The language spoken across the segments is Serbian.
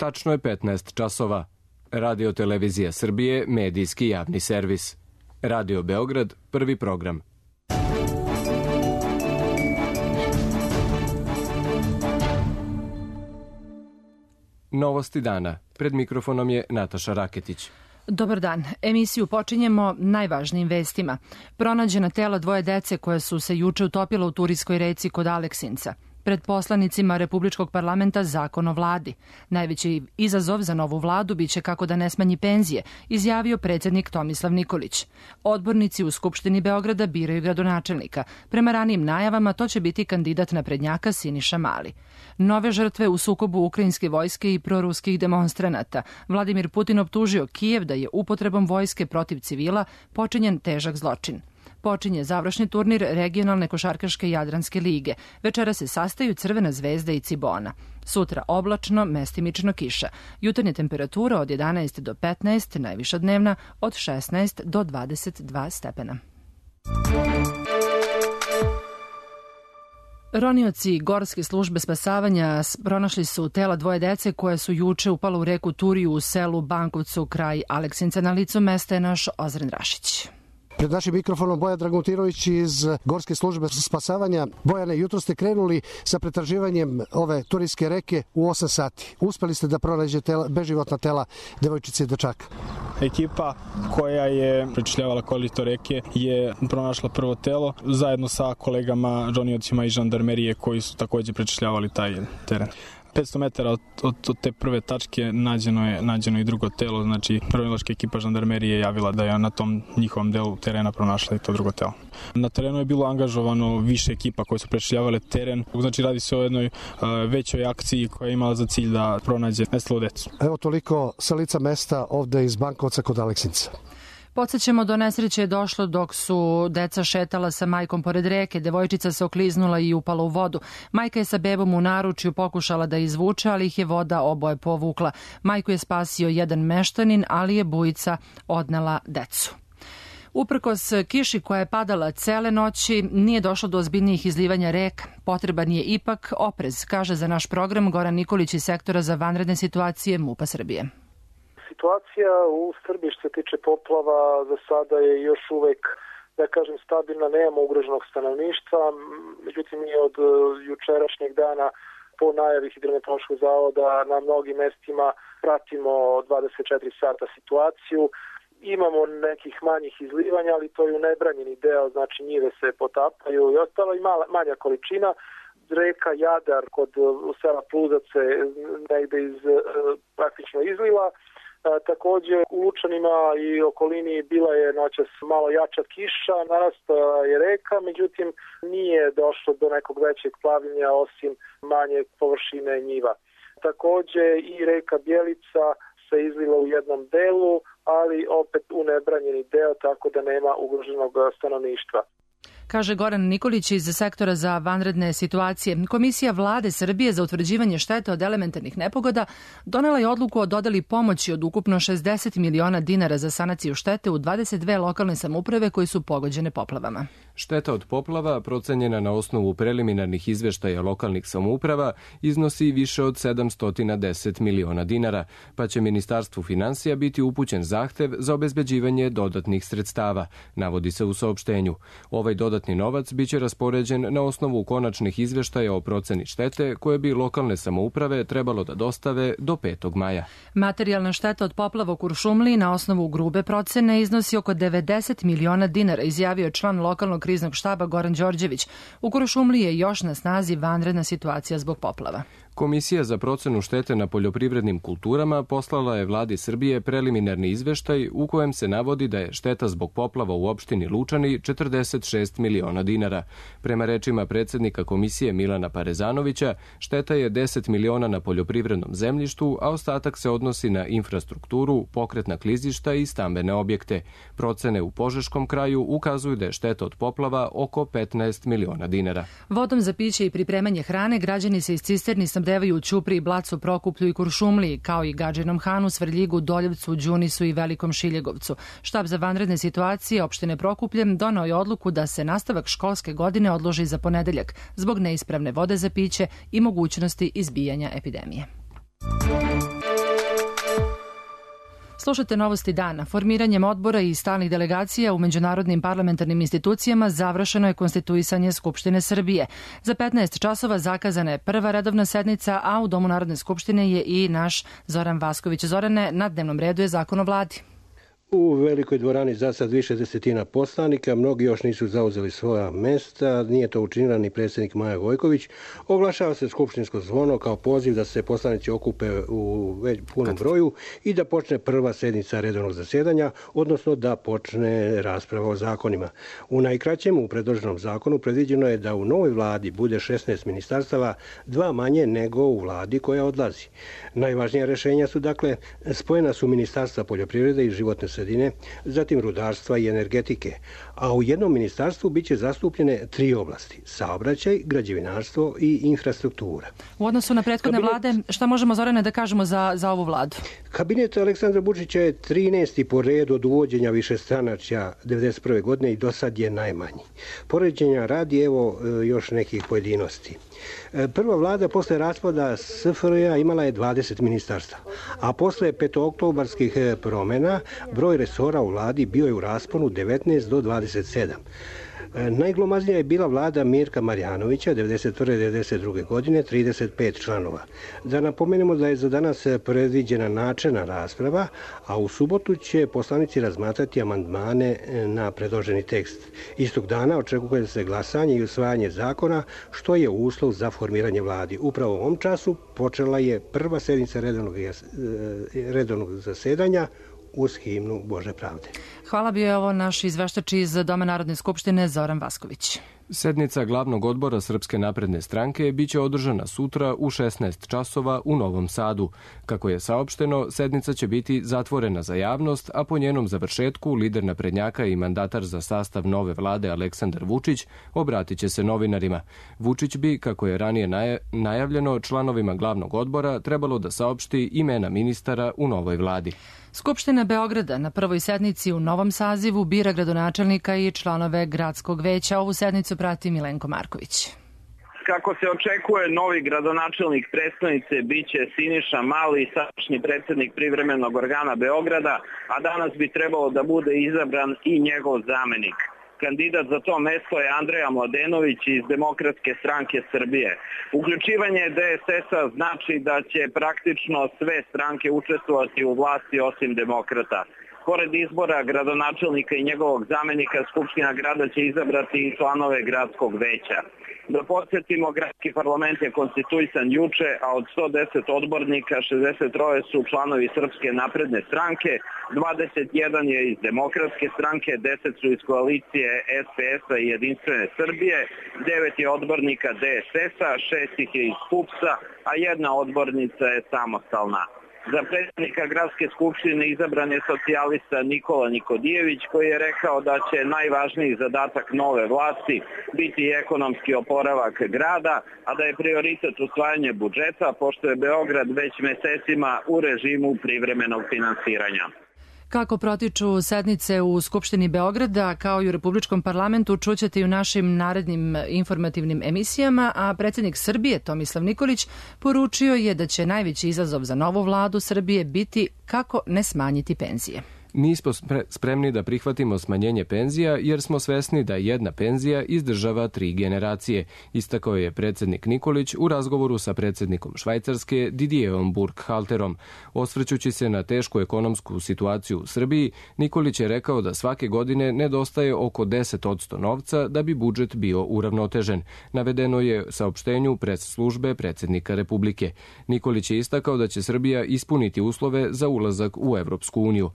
Tačno je 15 časova. Radio Televizija Srbije, medijski javni servis. Radio Beograd, prvi program. Novosti dana. Pred mikrofonom je Nataša Raketić. Dobar dan. Emisiju počinjemo najvažnijim vestima. Pronađena tela dvoje dece koje su se juče utopila u Turijskoj reci kod Aleksinca. Pred poslanicima Republičkog parlamenta zakon o vladi. Najveći izazov za novu vladu biće kako da ne smanji penzije, izjavio predsjednik Tomislav Nikolić. Odbornici u Skupštini Beograda biraju gradonačelnika. Prema ranijim najavama to će biti kandidat naprednjaka Siniša Mali. Nove žrtve u sukobu ukrajinske vojske i proruskih demonstranata. Vladimir Putin optužio Kijev da je upotrebom vojske protiv civila počinjen težak zločin. Počinje završni turnir regionalne košarkaške Jadranske lige. Večera se sastaju Crvena zvezda i Cibona. Sutra oblačno, mestimično kiša. Jutarnja temperatura od 11 do 15, najviša dnevna od 16 do 22 stepena. Ronioci Gorske službe spasavanja pronašli su tela dvoje dece koje su juče upala u reku Turiju u selu Bankovcu kraj Aleksinca. Na licu mesta je naš Ozren Rašić. Pred našim mikrofonom Bojan Dragutirović iz Gorske službe spasavanja. Bojane, jutro ste krenuli sa pretraživanjem ove turijske reke u 8 sati. Uspeli ste da pronađete beživotna tela devojčice i dečaka. Ekipa koja je prečišljavala korito reke je pronašla prvo telo zajedno sa kolegama roniocima iz žandarmerije koji su takođe prečišljavali taj teren. 500 metara od te prve tačke nađeno je i drugo telo, znači ronilačka ekipa žandarmerije je javila da je na tom njihovom delu terena pronašla i to drugo telo. Na terenu je bilo angažovano više ekipa koje su prečišljavale teren, znači radi se o jednoj većoj akciji koja je imala za cilj da pronađe nestalu decu. Evo toliko sa lica mesta ovde iz Bankovca kod Aleksinca. Podsjećamo, do nesreće je došlo dok su deca šetala sa majkom pored reke. Devojčica se okliznula i upala u vodu. Majka je sa bebom u naručju pokušala da izvuče, ali ih je voda oboje povukla. Majku je spasio jedan meštanin, ali je bujica odnela decu. Uprkos kiši koja je padala cele noći, nije došlo do ozbiljnijih izlivanja reka. Potreban je ipak oprez, kaže za naš program Goran Nikolić iz sektora za vanredne situacije MUP-a Srbije. Situacija u Srbiji što se tiče poplava za sada je još uvek, da kažem, stabilna, nemamo ugroženog stanovništva, međutim mi od jučerašnjeg dana po najavi Hidrometeorološkog zavoda na mnogim mestima pratimo 24 sata situaciju. Imamo nekih manjih izlivanja, ali to je u nebranjeni deo, znači njive se potapaju i ostala i manja količina. Reka Jadar kod sela Pluzace negde praktično izliva. Takođe u Lučanima i okolini bila je noćas malo jača kiša, narastala je reka, međutim nije došlo do nekog većeg plavljenja osim manje površine njiva. Takođe i reka Bjelica se izliva u jednom delu, ali opet u nebranjeni deo, tako da nema ugroženog stanovništva. Kaže Goran Nikolić iz sektora za vanredne situacije. Komisija Vlade Srbije za utvrđivanje štete od elementarnih nepogoda donela je odluku o dodeli pomoći od ukupno 60 miliona dinara za sanaciju štete u 22 lokalne samouprave koji su pogođene poplavama. Šteta od poplava, procenjena na osnovu preliminarnih izveštaja lokalnih samouprava, iznosi više od 710 miliona dinara, pa će Ministarstvu finansija biti upućen zahtev za obezbeđivanje dodatnih sredstava, navodi se u saopštenju. Ovaj dodatni novac biće raspoređen na osnovu konačnih izveštaja o proceni štete koje bi lokalne samouprave trebalo da dostave do 5. maja. Materijalna šteta od poplava u Kuršumliji na osnovu grube procene iznosi oko 90 miliona dinara, izjavio je član lokalnog kriznog štaba Goran Đorđević. U Kuršumliji je još na snazi vanredna situacija zbog poplava. Komisija za procenu štete na poljoprivrednim kulturama poslala je Vladi Srbije preliminarni izveštaj u kojem se navodi da je šteta zbog poplava u opštini Lučani 46 miliona dinara. Prema rečima predsjednika komisije Milana Parezanovića, šteta je 10 miliona na poljoprivrednom zemljištu, a ostatak se odnosi na infrastrukturu, pokretna klizišta i stambene objekte. Procene u Požeškom kraju ukazuju da je šteta od poplava oko 15 miliona dinara. Vodom za piće i pripremanje hrane građani se iz cisterni snabdevaju u Ćupriji, Blacu, Prokuplju i Kuršumliji, kao i Gadžinom Hanu, Svrljigu, Doljevcu, Đunisu i Velikom Šiljegovcu. Štab za vanredne situacije opštine Prokuplje donao je odluku da se nastavak školske godine odloži za ponedeljak zbog neispravne vode za piće i mogućnosti izbijanja epidemije. Slušate Novosti dana. Formiranjem odbora i stalnih delegacija u međunarodnim parlamentarnim institucijama završeno je konstituisanje Skupštine Srbije. Za 15 časova zakazana je prva redovna sednica, a u Domu Narodne skupštine je i naš Zoran Vasković. Zorane, na dnevnom redu je Zakon o vladi. U velikoj dvorani za sad više desetina poslanika, mnogi još nisu zauzeli svoja mesta, nije to učinila ni predsjednik Maja Gojković. Oglašava se skupštinsko zvono kao poziv da se poslanici okupe u punom broju i da počne prva sednica redovnog zasjedanja, odnosno da počne rasprava o zakonima. U najkraćem, u predloženom zakonu predviđeno je da u novoj vladi bude 16 ministarstava, 2 manje nego u vladi koja odlazi. Najvažnija rešenja su, dakle, spojena su ministarstva poljoprivrede i životne sredine, zatim rudarstva i energetike, a u jednom ministarstvu biće zastupljene 3 oblasti: saobraćaj, građevinarstvo i infrastruktura. U odnosu na prethodne vlade, šta možemo, Zorane, da kažemo za ovu vladu? Kabinet Aleksandra Vučića je 13. po redu od uvođenja višestranačja 1991. godine i do sad je najmanji. Poređenja radi evo još nekih pojedinosti. Prva vlada posle raspada SFRJ imala je 20 ministarstava, a posle petooktobarskih promena broj resora u vladi bio je u rasponu 19 do 27. Najglomaznija je bila vlada Mirka Marjanovića 1991-1992. godine, 35 članova. Da napomenemo da je za danas predviđena načelna rasprava, a u subotu će poslanici razmatrati amandmane na predloženi tekst. Istog dana očekuje se glasanje i usvajanje zakona, što je uslov za formiranje vladi. Upravo u ovom času počela je prva sednica redovnog zasedanja uz himnu Bože pravde. Hvala, bio je ovo naš izveštač iz Doma Narodne skupštine Zoran Vasković. Sednica glavnog odbora Srpske napredne stranke biće održana sutra u 16 časova u Novom Sadu. Kako je saopšteno, sednica će biti zatvorena za javnost, a po njenom završetku lider naprednjaka i mandatar za sastav nove vlade Aleksandar Vučić obratit će se novinarima. Vučić bi, kako je ranije najavljeno, članovima glavnog odbora trebalo da saopšti imena ministara u novoj vladi. Skupština Beograda na prvoj sednici u novom sazivu bira gradonačelnika i članove gradskog veća. Ovu sednicu prati Milenko Marković. Kako se očekuje, novi gradonačelnik prestonice biće Siniša Mali, sadašnji predsjednik privremenog organa Beograda, a danas bi trebalo da bude izabran i njegov zamenik. Kandidat za to mesto je Andreja Mladenović iz Demokratske stranke Srbije. Uključivanje DSS-a znači da će praktično sve stranke učestvovati u vlasti osim demokrata. Pored izbora gradonačelnika i njegovog zamenika, Skupština grada će izabrati i članove gradskog veća. Da podsjetimo, gradski parlament je konstituisan juče, a od 110 odbornika 63 su članovi Srpske napredne stranke, 21 je iz Demokratske stranke, 10 su iz koalicije SPS-a i Jedinstvene Srbije, 9 je odbornika DSS-a, 6 ih je iz PUPS-a, a 1 odbornica je samostalna. Za predsjednika gradske skupštine izabran je socijalista Nikola Nikodijević, koji je rekao da će najvažniji zadatak nove vlasti biti ekonomski oporavak grada, a da je prioritet usvajanje budžeta, pošto je Beograd već mesecima u režimu privremenog finansiranja. Kako protiču sednice u Skupštini Beograda, kao i u Republičkom parlamentu, čućete i u našim narednim informativnim emisijama, a predsjednik Srbije Tomislav Nikolić poručio je da će najveći izazov za novu vladu Srbije biti kako ne smanjiti penzije. Nismo spremni da prihvatimo smanjenje penzija jer smo svesni da jedna penzija izdržava 3 generacije, istakao je predsjednik Nikolić u razgovoru sa predsjednikom Švajcarske Didierom Burkhalterom. Osvrćući se na tešku ekonomsku situaciju u Srbiji, Nikolić je rekao da svake godine nedostaje oko 10% novca da bi budžet bio uravnotežen. Navedeno je saopštenju pres službe predsjednika Republike. Nikolić je istakao da će Srbija ispuniti uslove za ulazak u Evropsku uniju.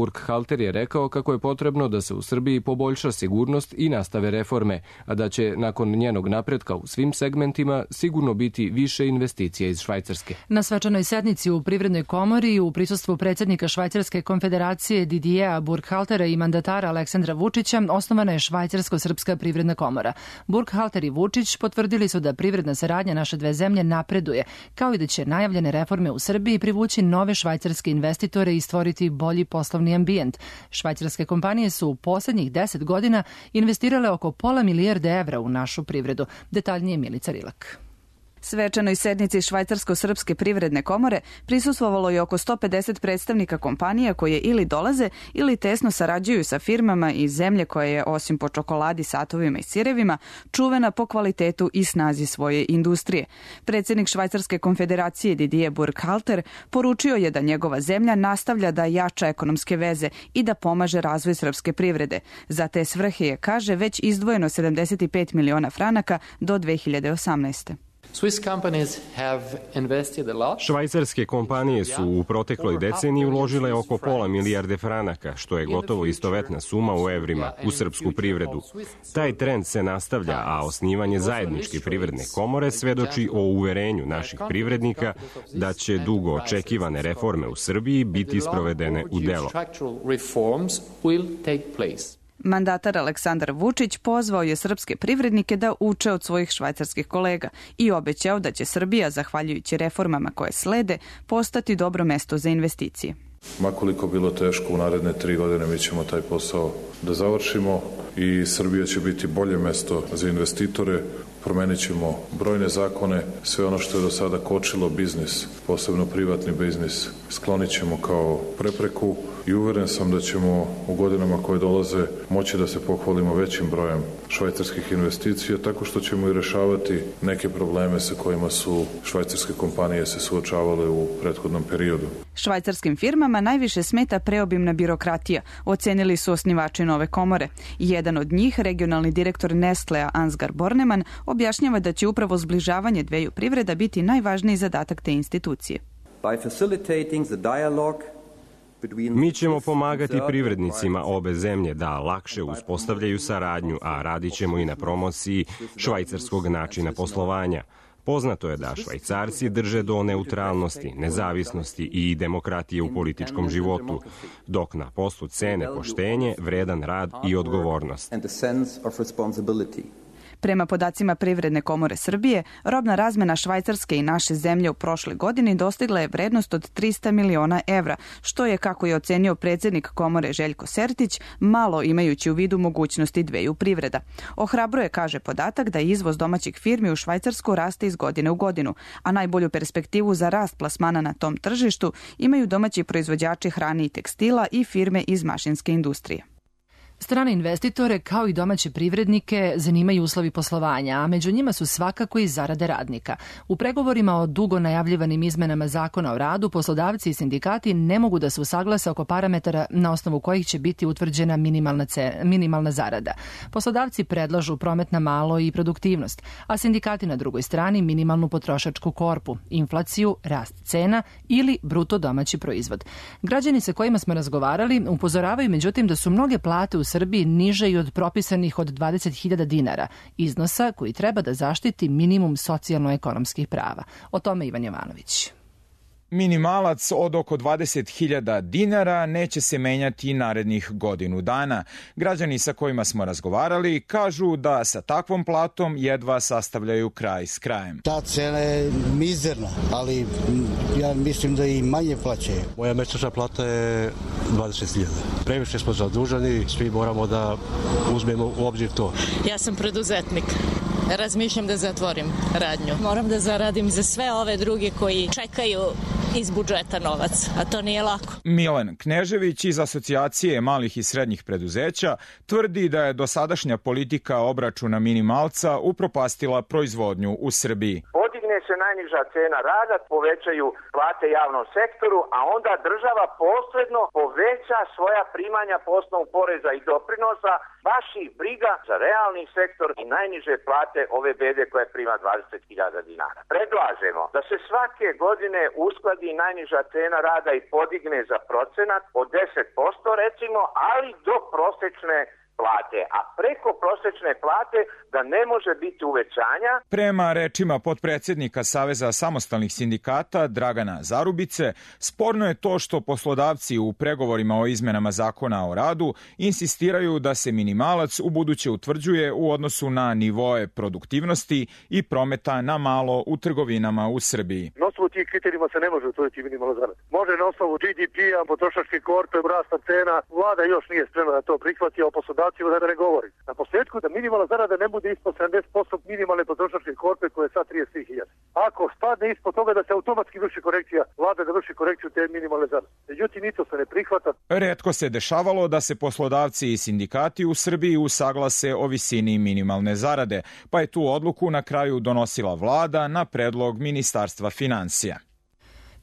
Burkhalter je rekao kako je potrebno da se u Srbiji poboljša sigurnost i nastave reforme, a da će nakon njenog napretka u svim segmentima sigurno biti više investicija iz Švajcarske. Na svečanoj sednici u Privrednoj komori u prisustvu predsjednika Švajcarske konfederacije Didiera Burkhaltera i mandatara Aleksandra Vučića osnovana je Švajcarsko-srpska privredna komora. Burkhalter i Vučić potvrdili su da privredna saradnja naše dve zemlje napreduje, kao i da će najavljene reforme u Srbiji privući nove švajcarske investitore i stvoriti bolji poslovni ambijent. Švajcarske kompanije su u posljednjih 10 godina investirale oko £500 milijardi u našu privredu. Detaljnije Milica Rilak. Svečanoj sednici Švajcarsko-srpske privredne komore prisustvovalo je oko 150 predstavnika kompanija koje ili dolaze ili tesno sarađuju sa firmama iz zemlje koja je, osim po čokoladi, satovima i sirevima, čuvena po kvalitetu i snazi svoje industrije. Predsjednik Švajcarske konfederacije Didier Burkhalter poručio je da njegova zemlja nastavlja da jača ekonomske veze i da pomaže razvoj srpske privrede. Za te svrhe je, kaže, već izdvojeno 75 miliona franaka do 2018. Švajcarske kompanije su u protekloj deceniji uložile oko pola milijarde franaka, što je gotovo istovetna suma u evrima, u srpsku privredu. Taj trend se nastavlja, a osnivanje zajedničke privredne komore svedoči o uverenju naših privrednika da će dugo očekivane reforme u Srbiji biti sprovedene u delo. Mandatar Aleksandar Vučić pozvao je srpske privrednike da uče od svojih švajcarskih kolega i obećao da će Srbija, zahvaljujući reformama koje slede, postati dobro mesto za investicije. Makoliko bilo teško, u naredne 3 godine mi ćemo taj posao da završimo i Srbija će biti bolje mesto za investitore. Promenit ćemo brojne zakone, sve ono što je do sada kočilo biznis, posebno privatni biznis, sklonit ćemo kao prepreku i uveren sam da ćemo u godinama koje dolaze moći da se pohvalimo većim brojem švajcarskih investicija, tako što ćemo i rešavati neke probleme sa kojima su švajcarske kompanije se suočavale u prethodnom periodu. Švajcarskim firmama najviše smeta preobimna birokratija, ocenili su osnivači nove komore. Jedan od njih, regionalni direktor Nestlea Ansgar Bornemann, objašnjava da će upravo zbližavanje dveju privreda biti najvažniji zadatak te institucije. Mi ćemo pomagati privrednicima obe zemlje da lakše uspostavljaju saradnju, a radit ćemo i na promociji švajcarskog načina poslovanja. Poznato je da Švajcarci drže do neutralnosti, nezavisnosti i demokratije u političkom životu, dok na poslu cene poštenje, vredan rad i odgovornost. Prema podacima Privredne komore Srbije, robna razmena Švajcarske i naše zemlje u prošloj godini dostigla je vrednost od 300 miliona evra, što je, kako je ocenio predsjednik komore Željko Sertić, malo imajući u vidu mogućnosti dveju privreda. Ohrabruje, kaže, podatak da izvoz domaćih firmi u Švajcarsku raste iz godine u godinu, a najbolju perspektivu za rast plasmana na tom tržištu imaju domaći proizvođači hrane i tekstila i firme iz mašinske industrije. Strane investitore, kao i domaće privrednike, zanimaju uslovi poslovanja, a među njima su svakako i zarade radnika. U pregovorima o dugo najavljivanim izmenama zakona o radu, poslodavci i sindikati ne mogu da se usaglase oko parametara na osnovu kojih će biti utvrđena minimalna zarada. Poslodavci predlažu promet na malo i produktivnost, a sindikati na drugoj strani minimalnu potrošačku korpu, inflaciju, rast cena ili bruto domaći proizvod. Građani sa kojima smo razgovarali upozoravaju međutim da su mnoge plate u Srbiji niže i od propisanih od 20.000 dinara, iznosa koji treba da zaštiti minimum socijalno-ekonomskih prava. O tome Ivan Jovanović. Minimalac od oko 20.000 dinara neće se menjati narednih godinu dana. Građani sa kojima smo razgovarali kažu da sa takvom platom jedva sastavljaju kraj s krajem. Ta cena je mizerna, ali ja mislim da i manje plaćaju. Moja mesečna plata je 20.000. Previše smo zaduženi, svi moramo da uzmemo u obzir to. Ja sam preduzetnik. Razmišljam da zatvorim radnju. Moram da zaradim za sve ove druge koji čekaju iz budžeta novac, a to nije lako. Milan Knežević iz Asocijacije malih i srednjih preduzeća tvrdi da je dosadašnja politika obračuna minimalca upropastila proizvodnju u Srbiji. Podigne se najniža cena rada, povećaju plate javnom sektoru, a onda država posredno poveća svoja primanja po osnovu poreza i doprinosa, baš ih briga za realni sektor i najniže plate ove bede koja prima 20.000 dinara. Predlažemo da se svake godine uskladi najniža cena rada i podigne za procenat od 10% recimo, ali do prosečne plate, a preko prosečne plate da ne može biti uvećanja. Prema rečima potpredsjednika Saveza samostalnih sindikata Dragana Zarubice, sporno je to što poslodavci u pregovorima o izmenama zakona o radu insistiraju da se minimalac u buduće utvrđuje u odnosu na nivoe produktivnosti i prometa na malo u trgovinama u Srbiji. Na osnovu tih kriterijima se ne može utvrditi minimalna zarada. Može na osnovu GDP-a, potrošačke korpe, rasta cena. Vlada još nije spremna da to prihvati, a poslodavcima da ne govori. Na posljedku da minimalna zarada ne bude ispod 70% minimalne potrošačke korpe koje je sad 33.000. ako spadne ispod toga da se automatski vrši korekcija, vlada da vrši korekciju te minimalne zarade. Međutim, ni to se ne prihvata. Retko se dešavalo da se poslodavci i sindikati u Srbiji usaglase o visini minimalne zarade, pa je tu odluku na kraju donosila vlada na predlog Ministarstva finansija.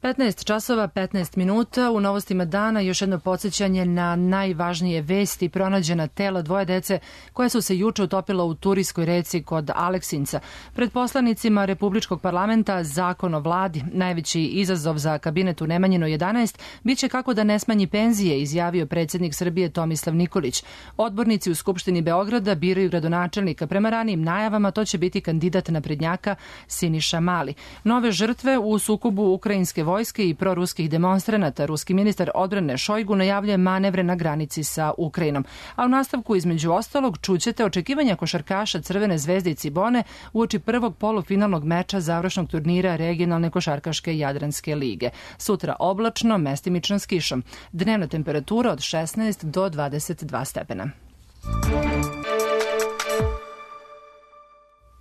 15 časova, 15 minuta. U novostima dana još jedno podsjećanje na najvažnije vesti. Pronađena tela dvoje dece koja su se juče utopila u Turijskoj reci kod Aleksinca. Pred poslanicima Republičkog parlamenta zakon o vladi. Najveći izazov za kabinet u Nemanjino 11 biće kako da ne smanji penzije, izjavio predsjednik Srbije Tomislav Nikolić. Odbornici u Skupštini Beograda biraju gradonačelnika. Prema ranijim najavama to će biti kandidat naprednjaka Siniša Mali. Nove žrtve u sukobu ukrajinske vojske i proruskih demonstranata. Ruski ministar odbrane Šojgu najavljuje manevre na granici sa Ukrajinom. A u nastavku između ostalog čućete očekivanja košarkaša Crvene zvezde i Cibone uoči prvog polufinalnog meča završnog turnira regionalne košarkaške Jadranske lige. Sutra oblačno, mestimično s kišom. Dnevna temperatura od 16 do 22 stepena.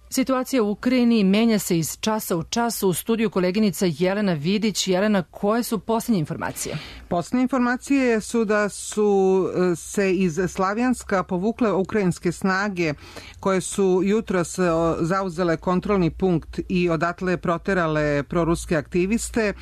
Situacija u Ukrajini menja se iz časa u čas. U studiju koleginica Jelena Vidić. Jelena, koje su posljednje informacije? Posljednje informacije su da su se iz Slavjanska povukle ukrajinske snage koje su jutros zauzele kontrolni punkt i odatle proterale proruske aktiviste.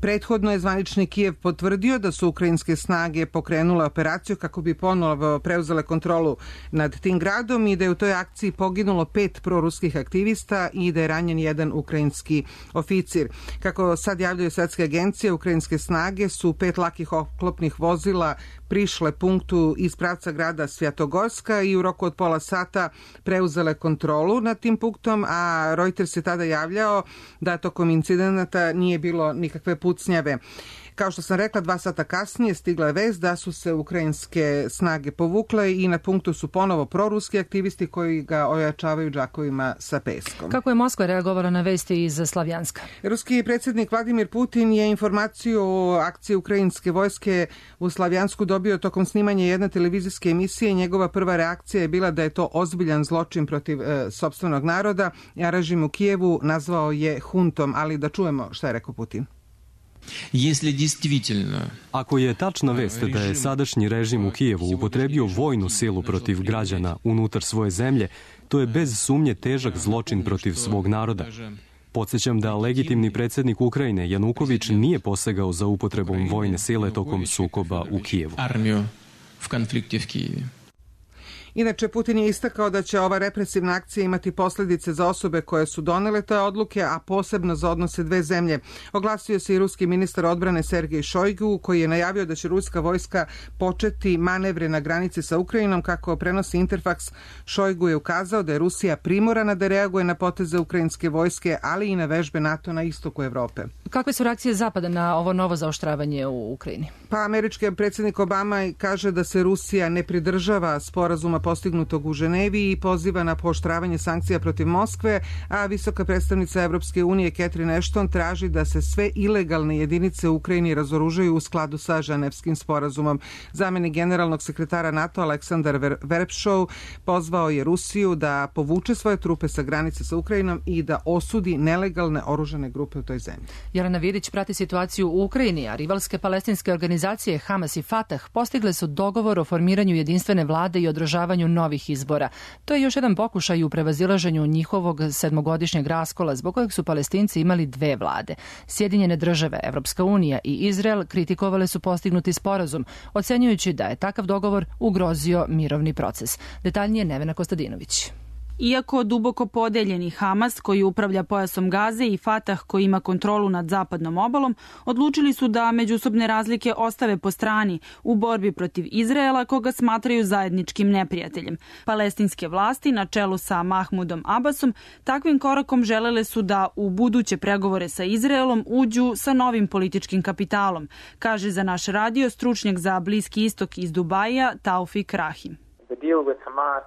Prethodno je zvanični Kijev potvrdio da su ukrajinske snage pokrenule operaciju kako bi ponovo preuzele kontrolu nad tim gradom i da je u toj akciji poginulo 5 proruskih aktivista i da je ranjen jedan ukrajinski oficir. Kako sad javljaju svetske agencije, ukrajinske snage su 5 lakih oklopnih vozila prišle punktu iz pravca grada Svjatogorska i u roku od pola sata preuzele kontrolu nad tim punktom, a Reuters je tada javljao da tokom incidenata nije bilo nikakve pucnjave. Kao što sam rekla, 2 sata kasnije stigla je vest da su se ukrajinske snage povukle i na punktu su ponovo proruski aktivisti koji ga ojačavaju džakovima sa peskom. Kako je Moskva reagovala na vesti iz Slavjanska? Ruski predsjednik Vladimir Putin je informaciju o akciji ukrajinske vojske u Slavjansku dobio tokom snimanja jedne televizijske emisije. Njegova prva reakcija je bila da je to ozbiljan zločin protiv sopstvenog naroda, a režim u Kijevu nazvao je huntom, ali da čujemo šta je rekao Putin. Ako je tačna vest da je sadašnji režim u Kijevu upotrebio vojnu silu protiv građana unutar svoje zemlje, to je bez sumnje težak zločin protiv svog naroda. Podsjećam da legitimni predsjednik Ukrajine Januković nije posegao za upotrebom vojne sile tokom sukoba u Kijevu. Inače, Putin je istakao da će ova represivna akcija imati posljedice za osobe koje su donele te odluke, a posebno za odnose dve zemlje. Oglasio se i ruski ministar odbrane Sergej Šojgu, koji je najavio da će ruska vojska početi manevre na granici sa Ukrajinom. Kako prenosi Interfax, Šojgu je ukazao da je Rusija primorana da reaguje na poteze ukrajinske vojske, ali i na vežbe NATO na istoku Evrope. Kakve su reakcije Zapada na ovo novo zaoštravanje u Ukrajini? Pa američki predsjednik Obama kaže da se Rusija ne pridržava sporazuma postignutog u Ženevi i poziva na pooštravanje sankcija protiv Moskve, a visoka predstavnica Evropske unije Catherine Ashton traži da se sve ilegalne jedinice u Ukrajini razoružaju u skladu sa Ženevskim sporazumom. Zamenik generalnog sekretara NATO Aleksandar Verpšov pozvao je Rusiju da povuče svoje trupe sa granice sa Ukrajinom i da osudi nelegalne oružane grupe u toj zemlji. Jelena Vidić prati situaciju u Ukrajini, a rivalske palestinske organizacije Hamas i Fatah postigle su dogovor o formiranju jedinstvene vlade i održavanju novih izbora. To je još jedan pokušaj u prevazilaženju njihovog 7-godišnjeg raskola zbog kojeg su Palestinci imali dve vlade. Sjedinjene države, Evropska unija i Izrael kritikovale su postignuti sporazum, ocenjujući da je takav dogovor ugrozio mirovni proces. Detaljnije Nevena Kostadinović. Iako duboko podeljeni Hamas, koji upravlja pojasom Gaze, i Fatah, koji ima kontrolu nad zapadnom obalom, odlučili su da međusobne razlike ostave po strani u borbi protiv Izraela, koga smatraju zajedničkim neprijateljem. Palestinske vlasti, na čelu sa Mahmudom Abbasom, takvim korakom želele su da u buduće pregovore sa Izraelom uđu sa novim političkim kapitalom, kaže za naš radio stručnjak za Bliski istok iz Dubaija Taufik Rahim.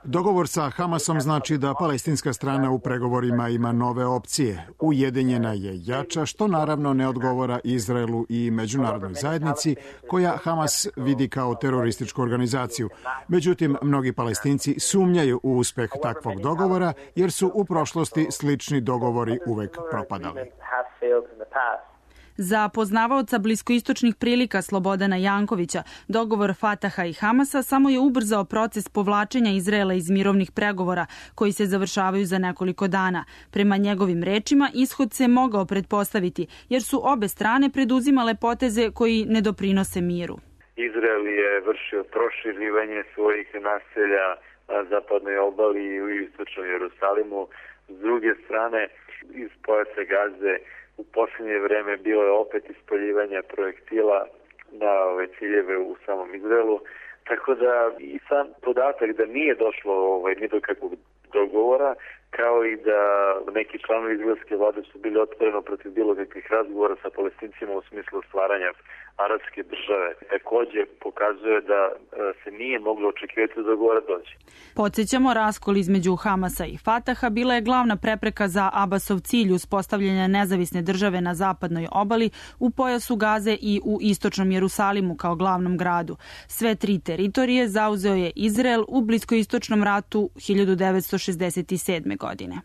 Dogovor sa Hamasom znači da palestinska strana u pregovorima ima nove opcije. Ujedinjena je jača, što naravno ne odgovara Izraelu i međunarodnoj zajednici, koja Hamas vidi kao terorističku organizaciju. Međutim, mnogi Palestinci sumnjaju u uspeh takvog dogovora, jer su u prošlosti slični dogovori uvek propadali. Za poznavaoca bliskoistočnih prilika Slobodana Jankovića, dogovor Fataha i Hamasa samo je ubrzao proces povlačenja Izraela iz mirovnih pregovora, koji se završavaju za nekoliko dana. Prema njegovim rečima, ishod se mogao pretpostaviti, jer su obe strane preduzimale poteze koji ne doprinose miru. Izrael je vršio proširivanje svojih naselja na zapadnoj obali i u istočnom Jerusalimu. S druge strane, iz pojasa Gaze u posljednje vreme bilo je opet ispaljivanja projektila na ove ciljeve u samom Izraelu. Tako da i sam podatak da nije došlo ni do kakvog dogovora, kao i da neki članovi izraelske vlade su bili otvoreno protiv bilo kakvih razgovora sa Palestincima u smislu stvaranja arapske države. Također pokazuje da se nije moglo očekivati da dogovora dođe. Podsjećamo, raskol između Hamasa i Fataha bila je glavna prepreka za Abasov cilj uspostavljanja nezavisne države na zapadnoj obali, u pojasu Gaze i u istočnom Jerusalimu kao glavnom gradu. Sve tri teritorije zauzeo je Izrael u bliskoistočnom ratu 1967. godine.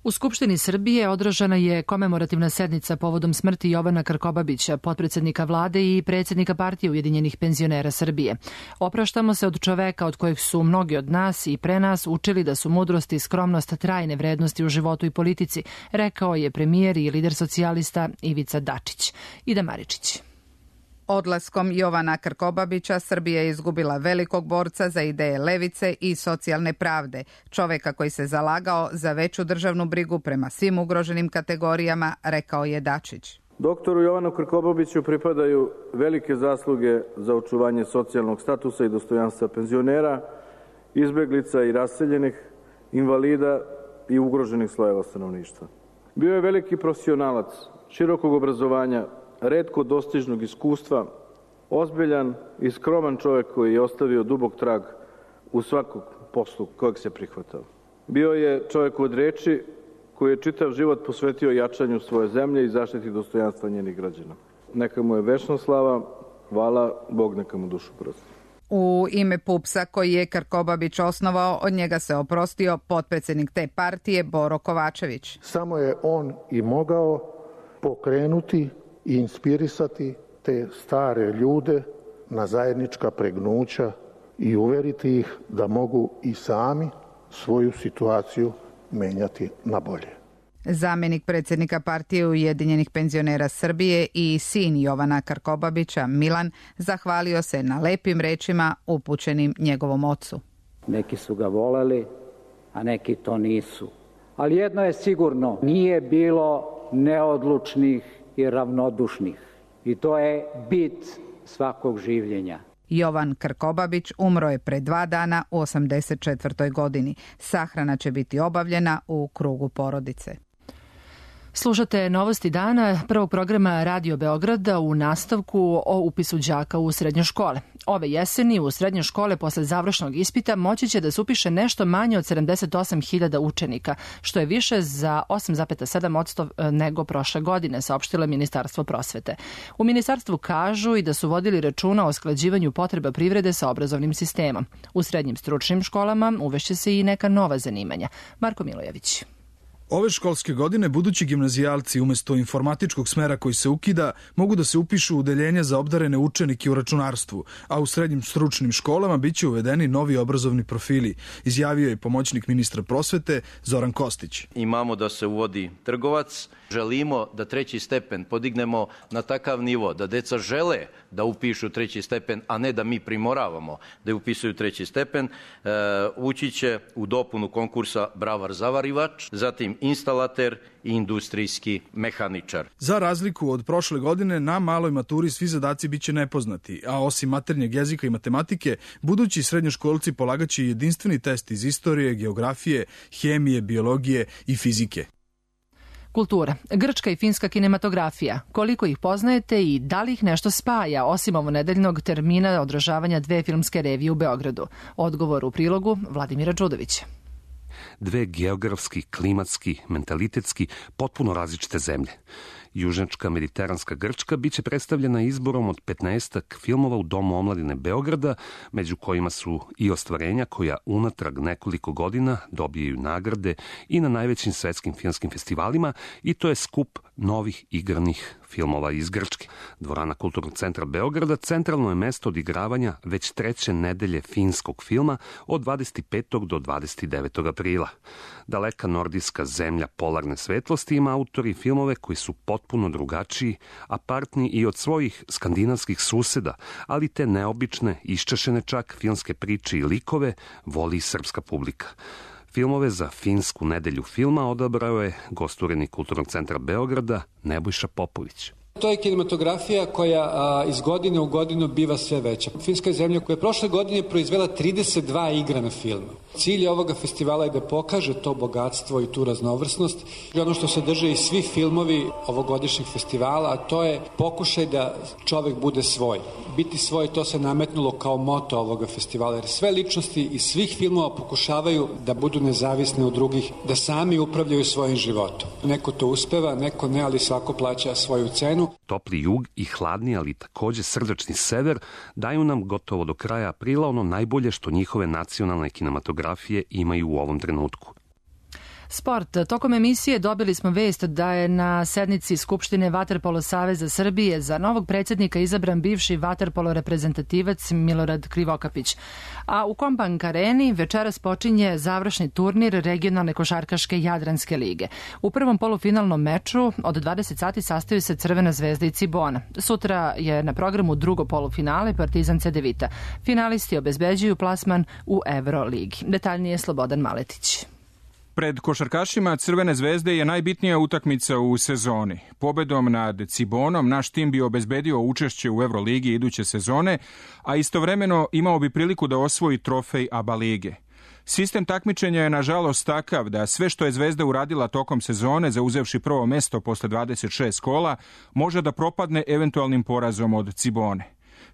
U Skupštini Srbije održana je komemorativna sednica povodom smrti Jovana Krkobabića, potpredsednika vlade i predsjednika partije Ujedinjenih penzionera Srbije. Opraštamo se od čoveka od kojeg su mnogi od nas i pre nas učili da su mudrost i skromnost trajne vrednosti u životu i politici, rekao je premijer i lider socijalista Ivica Dačić. Ida Maričić. Odlaskom Jovana Krkobabića Srbija je izgubila velikog borca za ideje levice i socijalne pravde, čoveka koji se zalagao za veću državnu brigu prema svim ugroženim kategorijama, rekao je Dačić. Doktoru Jovanu Krkobabiću pripadaju velike zasluge za očuvanje socijalnog statusa i dostojanstva penzionera, izbeglica i raseljenih, invalida i ugroženih slojeva stanovništva. Bio je veliki profesionalac, širokog obrazovanja, retko dostižnog iskustva, ozbiljan i skroman čovjek koji je ostavio dubok trag u svakog poslu kojeg se prihvatao. Bio je čovjek od reči koji je čitav život posvetio jačanju svoje zemlje i zaštiti dostojanstva njenih građana. Neka mu je večna slava, hvala, Bog neka mu dušu prosti. U ime PUPS-a koji je Krkobabić osnovao, od njega se oprostio potpredsjednik te partije Boro Kovačević. Samo je on i mogao pokrenuti i inspirisati te stare ljude na zajednička pregnuća i uveriti ih da mogu i sami svoju situaciju menjati na bolje. Zamjenik predsjednika partije Ujedinjenih penzionera Srbije i sin Jovana Krkobabića, Milan, zahvalio se na lepim rečima upućenim njegovom ocu. Neki su ga voleli, a neki to nisu. Ali jedno je sigurno, nije bilo neodlučnih i ravnodušnih. I to je bit svakog življenja. Jovan Krkobabić umro je pre 2 dana u 84. godini. Sahrana će biti obavljena u krugu porodice. Slušate novosti dana prvog programa Radio Beograda u nastavku o upisu đaka u srednje škole. Ove jeseni u srednje škole posle završnog ispita moći će da se upiše nešto manje od 78.000 učenika, što je više za 8,7% nego prošle godine, saopštilo Ministarstvo prosvete. U ministarstvu kažu i da su vodili računa o usklađivanju potreba privrede sa obrazovnim sistemom. U srednjim stručnim školama uvešće se i neka nova zanimanja. Marko Milojević. Ove školske godine budući gimnazijalci umesto informatičkog smera koji se ukida mogu da se upišu u udeljenja za obdarene učenike u računarstvu, a u srednjim stručnim školama biće uvedeni novi obrazovni profili, izjavio je pomoćnik ministra prosvete Zoran Kostić. Imamo da se uvodi trgovac, želimo da 3. stepen podignemo na takav nivo da deca žele da upišu 3. stepen, a ne da mi primoravamo da upisuju 3. stepen. Ući će u dopunu konkursa bravar-zavarivač, zatim instalater i industrijski mehaničar. Za razliku od prošle godine, na maloj maturi svi zadaci biće nepoznati, a osim maternjeg jezika i matematike, budući srednjoškolci polagaće jedinstveni test iz istorije, geografije, hemije, biologije i fizike. Kultura. Grčka i finska kinematografija. Koliko ih poznajete i da li ih nešto spaja, osim ovonedeljnog termina odražavanja 2 filmske revije u Beogradu? Odgovor u prilogu Vladimira Đudovića. 2 geografski, klimatski, mentalitetski, potpuno različite zemlje. Južnjačka mediteranska Grčka biće predstavljena izborom od 15 filmova u Domu omladine Beograda, među kojima su i ostvarenja koja unatrag nekoliko godina dobijaju nagrade i na najvećim svetskim filmskim festivalima, i to je skup novih igranih filmova iz Grčke. Dvorana Kulturnog centra Beograda centralno je mesto odigravanja već 3. nedelje finskog filma od 25. do 29. aprila. Daleka nordijska zemlja polarne svetlosti ima autori filmove koji su potpuno drugačiji, apartni i od svojih skandinavskih suseda, ali te neobične, iščašene čak filmske priče i likove voli i srpska publika. Filmove za finsku nedelju filma odabrao je gost urednik Kulturnog centra Beograda Nebojša Popović. To je kinematografija koja iz godine u godinu biva sve veća. Finska je zemlja koja je prošle godine proizvela 32 igrana filma. Cilj ovoga festivala je da pokaže to bogatstvo i tu raznovrsnost. I ono što sadrže i svi filmovi ovogodišnjeg festivala, a to je pokušaj da čovek bude svoj. Biti svoj, to se nametnulo kao moto ovoga festivala, jer sve ličnosti iz svih filmova pokušavaju da budu nezavisne od drugih, da sami upravljaju svojim životom. Neko to uspeva, neko ne, ali svako plaća svoju cenu. Topli jug i hladni, ali takođe srdačni sever daju nam gotovo do kraja aprila ono najbolje što njihove nacionalne kinematografije imaju u ovom trenutku. Sport. Tokom emisije dobili smo vest da je na sednici Skupštine Vaterpolo Saveza Srbije za novog predsjednika izabran bivši vaterpolo reprezentativac Milorad Krivokapić. A u Kombank areni večeras počinje završni turnir regionalne košarkaške Jadranske lige. U prvom polufinalnom meču od 20 sati sastaju se Crvena zvezda i Cibona. Sutra je na programu drugo polufinale Partizan Cedevita. Finalisti obezbeđuju plasman u Euroligi. Detaljnije Slobodan Maletić. Pred košarkašima Crvene zvezde je najbitnija utakmica u sezoni. Pobedom nad Cibonom naš tim bi obezbedio učešće u Euroligi iduće sezone, a istovremeno imao bi priliku da osvoji trofej ABA lige. Sistem takmičenja je nažalost takav da sve što je Zvezda uradila tokom sezone, zauzevši prvo mesto posle 26 kola, može da propadne eventualnim porazom od Cibone.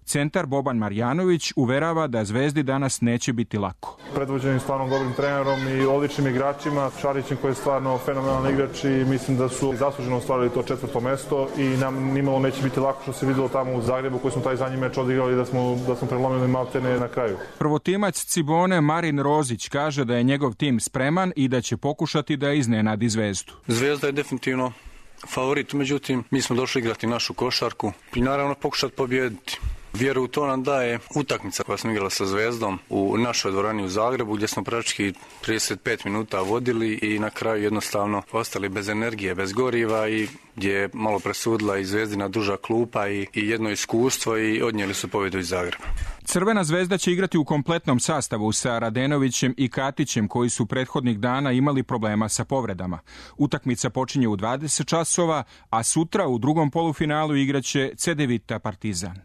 Centar Boban Marjanović uverava da Zvezdi danas neće biti lako. Predvođenim stvarno dobrim trenerom i odličnim igračima, Šarićem koji je stvarno fenomenalan igrač i mislim da su zasluženo ostvarili to 4. mesto i nam nimalo neće biti lako što se videlo tamo u Zagrebu koji smo taj zadnji meč odigrali da smo prelomili maltene na kraju. Prvotimac Cibone Marin Rozić kaže da je njegov tim spreman i da će pokušati da iznenadi Zvezdu. Zvezda je definitivno favorit, međutim mi smo došli igrati našu košarku i naravno pokušati pobijediti. Vjeru u to nam daje utakmica koja smo igrali sa Zvezdom u našoj dvorani u Zagrebu gdje smo praktički 35 minuta vodili i na kraju jednostavno ostali bez energije, bez goriva i gdje je malo presudila i Zvezdina duža klupa i jedno iskustvo i odnijeli su pobjedu iz Zagreba. Crvena zvezda će igrati u kompletnom sastavu sa Radenovićem i Katićem koji su prethodnih dana imali problema sa povredama. Utakmica počinje u 20 časova, a sutra u drugom polufinalu igraće Cedevita Partizan.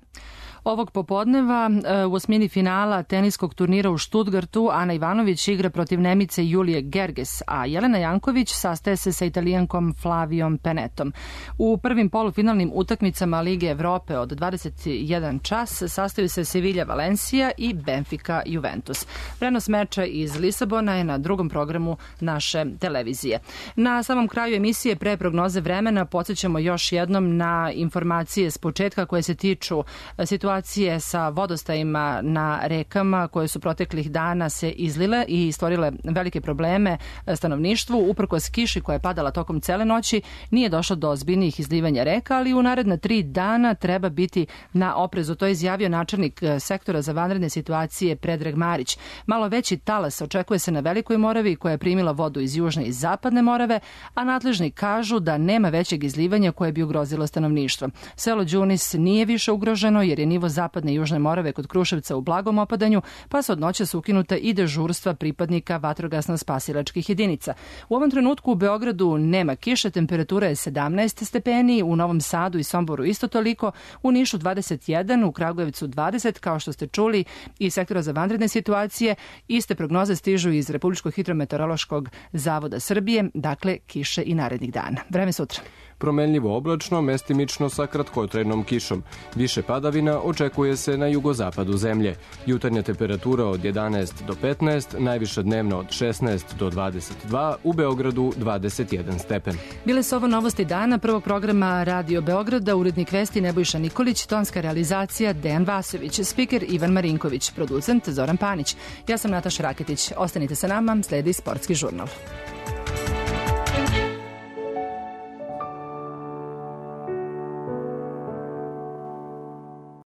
Ovog popodneva u osmini finala teniskog turnira u Stuttgartu Ana Ivanović igra protiv Nemice Julije Gerges, a Jelena Janković sastaje se sa Italijankom Flavijom Penetom. U prvim polufinalnim utakmicama Lige Evrope od 21 čas sastaju se Sevilla Valencija i Benfica Juventus. Prenos meča iz Lisabona je na drugom programu naše televizije. Na samom kraju emisije pre prognoze vremena podsjećamo još jednom na informacije s početka koje se tiču situacije sa vodostajima na rekama koje su proteklih dana se izlile i stvorile velike probleme stanovništvu. Uprkos kiši koja je padala tokom cele noći nije došlo do ozbiljnijih izlivanja reka, ali u naredna 3 dana treba biti na oprezu. To je izjavio načelnik sektora za vanredne situacije Predrag Marić. Malo veći talas očekuje se na Velikoj Moravi koja je primila vodu iz južne i zapadne Morave, a nadležni kažu da nema većeg izlivanja koje bi ugrozilo stanovništvo. Selo Đunis nije više ugroženo jer je nivo nivo zapadne i južne Morave kod Kruševca u blagom opadanju, pa se od noća su ukinuta i dežurstva pripadnika vatrogasno-spasilačkih jedinica. U ovom trenutku u Beogradu nema kiše, temperatura je 17 stepeni, u Novom Sadu i Somboru isto toliko, u Nišu 21, u Kragujevcu 20, kao što ste čuli, i sektora za vanredne situacije. Iste prognoze stižu iz Republičkog hidrometeorološkog zavoda Srbije, dakle kiše i narednih dana. Vreme sutra. Promenljivo oblačno, mestimično sa kratkotrajnom kišom. Više padavina očekuje se na jugozapadu zemlje. Jutarnja temperatura od 11 do 15, najviša dnevna od 16 do 22, u Beogradu 21 stepen. Bile su ovo novosti dana prvog programa Radio Beograda, urednik vesti Nebojša Nikolić, tonska realizacija Dejan Vasović, spiker Ivan Marinković, producent Zoran Panić. Ja sam Nataša Raketić. Ostanite sa nama, sledi Sportski žurnal.